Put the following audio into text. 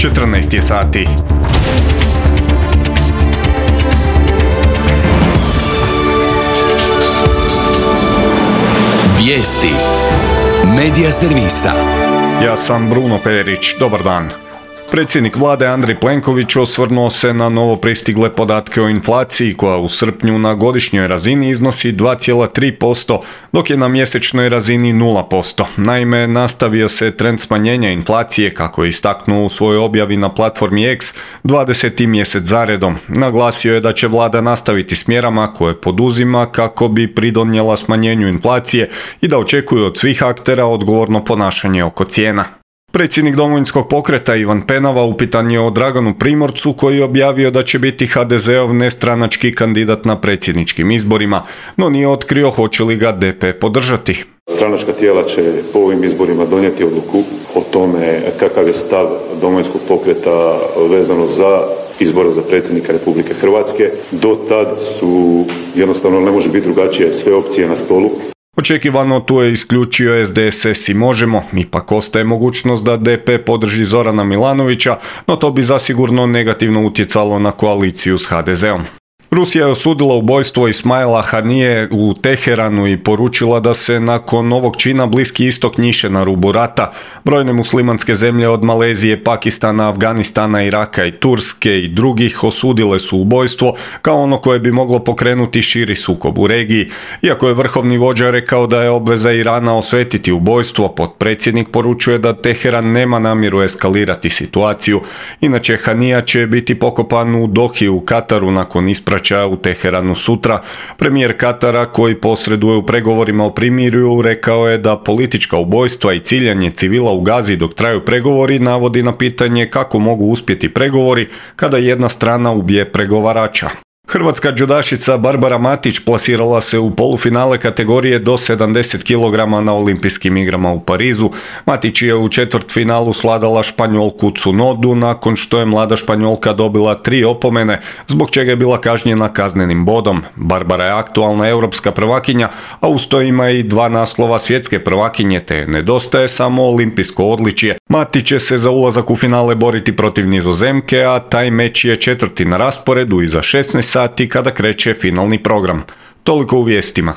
14 je sati. Vijesti Medija servisa. Ja sam Bruno Perić, dobar dan. Predsjednik vlade Andrej Plenković osvrnuo se na novo pristigle podatke o inflaciji koja u srpnju na godišnjoj razini iznosi 2,3%, dok je na mjesečnoj razini 0%. Naime, nastavio se trend smanjenja inflacije, kako je istaknuo u svojoj objavi na platformi X 20. mjesec zaredom. Naglasio je da će vlada nastaviti s mjerama koje poduzima kako bi pridonijela smanjenju inflacije i da očekuje od svih aktera odgovorno ponašanje oko cijena. Predsjednik Domovinskog pokreta Ivan Penava upitan je o Draganu Primorcu koji je objavio da će biti HDZ-ov nestranački kandidat na predsjedničkim izborima, no nije otkrio hoće li ga DP podržati. Stranačka tijela će po ovim izborima donijeti odluku o tome kakav je stav Domovinskog pokreta vezano za izbora za predsjednika Republike Hrvatske. Do tad su, jednostavno ne može biti drugačije, sve opcije na stolu. Očekivano tu je isključio SDSS i Možemo, ipak ostaje mogućnost da DP podrži Zorana Milanovića, no to bi zasigurno negativno utjecalo na koaliciju s HDZ-om. Rusija je osudila ubojstvo Ismaila Hanije u Teheranu i poručila da se nakon ovog čina Bliski istok njiše na rubu rata. Brojne muslimanske zemlje od Malezije, Pakistana, Afganistana, Iraka i Turske i drugih osudile su ubojstvo kao ono koje bi moglo pokrenuti širi sukob u regiji. Iako je vrhovni vođa rekao da je obveza Irana osvetiti ubojstvo, potpredsjednik poručuje da Teheran nema namjeru eskalirati situaciju. Inače, Hanija će biti pokopan u Dohi u Kataru nakon ispraćaja u Teheranu sutra. Premijer Katara, koji posreduje u pregovorima o primirju, rekao je da politička ubojstva i ciljanje civila u Gazi dok traju pregovori navodi na pitanje kako mogu uspjeti pregovori kada jedna strana ubije pregovarača. Hrvatska džudašica Barbara Matić plasirala se u polufinale kategorije do 70 kg na olimpijskim igrama u Parizu. Matić je u četvrtfinalu svladala Španjolku Cunodu nakon što je mlada Španjolka dobila 3 opomene, zbog čega je bila kažnjena kaznenim bodom. Barbara je aktualna europska prvakinja, a uz to ima i 2 naslova svjetske prvakinje, te nedostaje samo olimpijsko odličje. Matić će se za ulazak u finale boriti protiv Nizozemke, a taj meč je 4. na rasporedu iza 16 sati kada kreće finalni program. Toliko u vijestima.